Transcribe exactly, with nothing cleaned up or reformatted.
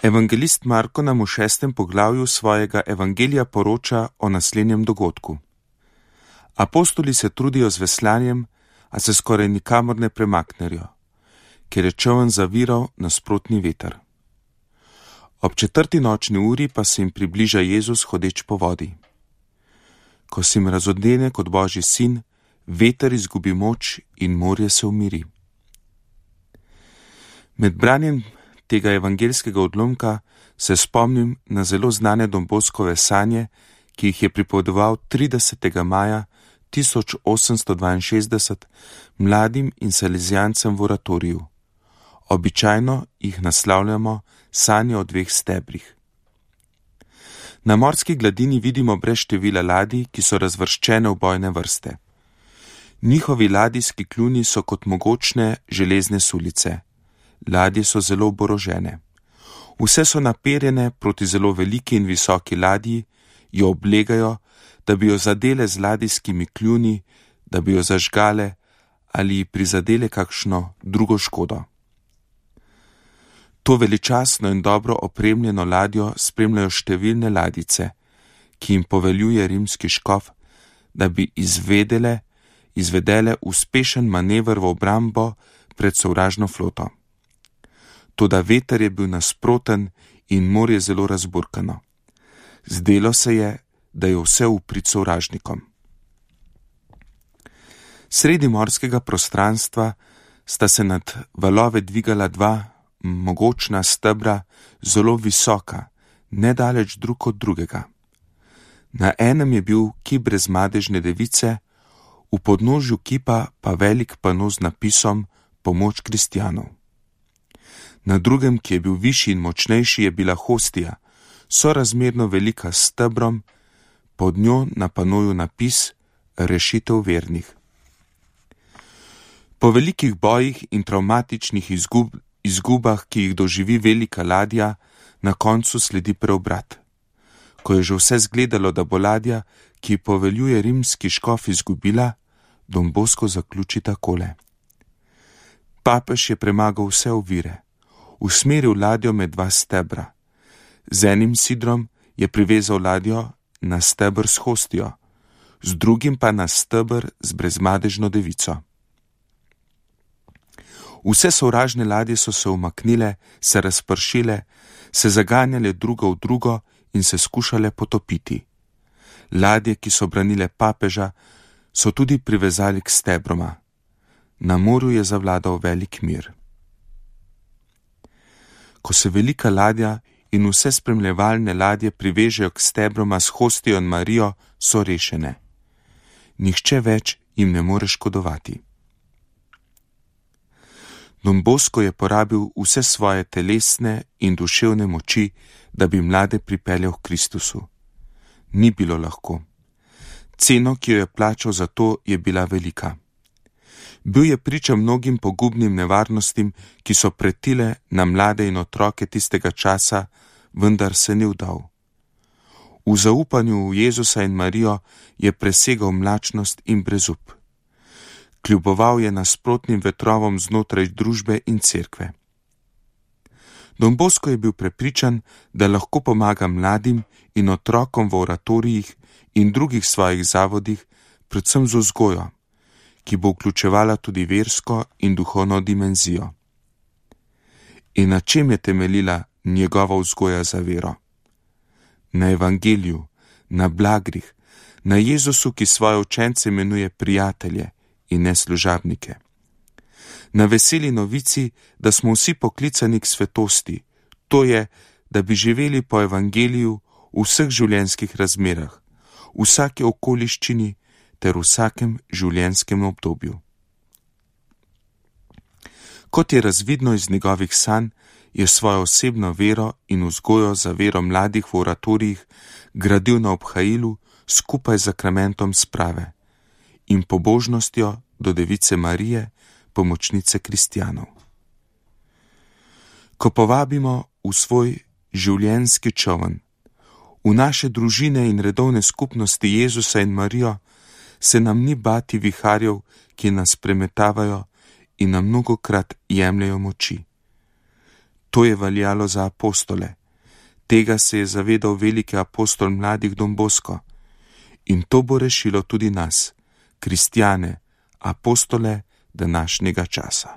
Evangelist Marko nam v šestem poglavju svojega evangelija poroča o naslednjem dogodku. Apostoli se trudijo z veslanjem, a se skoraj nikamor ne premaknejo, ker je čoln zaviral nasprotni veter. Ob četrti nočni uri pa se jim približa Jezus hodeč po vodi. Ko se jim razodene kot Božji sin, veter izgubi moč in morje se umiri. Med branjem tega evangelskega odlomka se spomnim na zelo znane Don Boskove sanje, ki jih je pripovedoval tridesetega maja tisoč osemsto dvainšestdeset mladim in salezijancem v oratoriju. Običajno jih naslavljamo sanje o dveh stebrih. Na morski gladini vidimo brez števila ladij, ki so razvrščene v bojne vrste. Njihovi ladijski kljuni so kot mogočne železne sulice. Ladje so zelo oborožene. Vse so naperjene proti zelo veliki in visoki ladji, jo oblegajo, da bi jo zadele z ladijskimi kljuni, da bi jo zažgale ali ji prizadele kakšno drugo škodo. To veličastno in dobro opremljeno ladjo spremljajo številne ladjice, ki jim poveljuje rimski škof, da bi izvedele, izvedele uspešen manever v obrambo pred sovražno floto. Toda veter je bil nasproten in morje zelo razburkano. Zdelo se je, da je vse v prid sovražnikom. Sredi morskega prostranstva sta se nad valove dvigala dva mogočna stebra, zelo visoka, nedaleč drug od drugega. Na enem je bil kip brezmadežne device, v podnožju kipa pa velik pano z napisom Pomoč kristjanov. Na drugem, ki je bil višji in močnejši, je bila hostija, sorazmerno velika s stebrom, pod njo na panoju napis Rešitev vernih. Po velikih bojih in travmatičnih izgub, izgubah, ki jih doživi velika ladja, na koncu sledi preobrat. Ko je že vse zgledalo, da bo ladja, ki poveljuje rimski škof, izgubila, Don Bosko zaključi takole. Papež je premagal vse ovire, usmeril ladjo med dva stebra. Z enim sidrom je privezal ladjo na steber s hostijo, z drugim pa na steber z brezmadežno devico. Vse sovražne ladje so se umaknile, se razpršile, se zaganjale drugo v drugo in se skušale potopiti. Ladje, ki so branile papeža, so tudi privezali k stebroma. Na morju je zavladal velik mir. Ko se velika ladja in vse spremljevalne ladje privežejo k stebroma s hostijo in Marijo, so rešene. Nihče več jim ne more škodovati. Don Bosko je porabil vse svoje telesne in duševne moči, da bi mlade pripeljal k Kristusu. Ni bilo lahko. Ceno, ki jo je plačal za to, je bila velika. Bil je priča mnogim pogubnim nevarnostim, ki so pretile na mlade in otroke tistega časa, vendar se ni vdal. V zaupanju v Jezusa in Marijo je presegal mlačnost in brezup. Kljuboval je nasprotnim vetrovom znotraj družbe in cerkve. Don Bosko je bil prepričan, da lahko pomaga mladim in otrokom v oratorijih in drugih svojih zavodih, predvsem z vzgojo, ki bo vključevala tudi versko in duhovno dimenzijo. In na čem je temeljila njegova vzgoja za vero? Na evangeliju, na blagrih, na Jezusu, ki svoje učence imenuje prijatelje in ne služabnike. Na veseli novici, da smo vsi poklicani k svetosti, to je, da bi živeli po evangeliju v vseh življenjskih razmerah, v vsaki okoliščini ter v vsakem življenjskem obdobju. Kot je razvidno iz njegovih sanj, je svojo osebno vero in vzgojo za vero mladih v oratorijih gradil na obhajilu skupaj z zakramentom sprave in pobožnostjo do device Marije, pomočnice kristjanov. Ko povabimo v svoj življenjski čoln, v naše družine in redovne skupnosti Jezusa in Marijo, se nam ni bati viharjev, ki nas premetavajo in nam mnogokrat jemljajo moči. To je veljalo za apostole. Tega se je zavedal veliki apostol mladih Don Bosco. In to bo rešilo tudi nas, kristjane, apostole današnjega časa.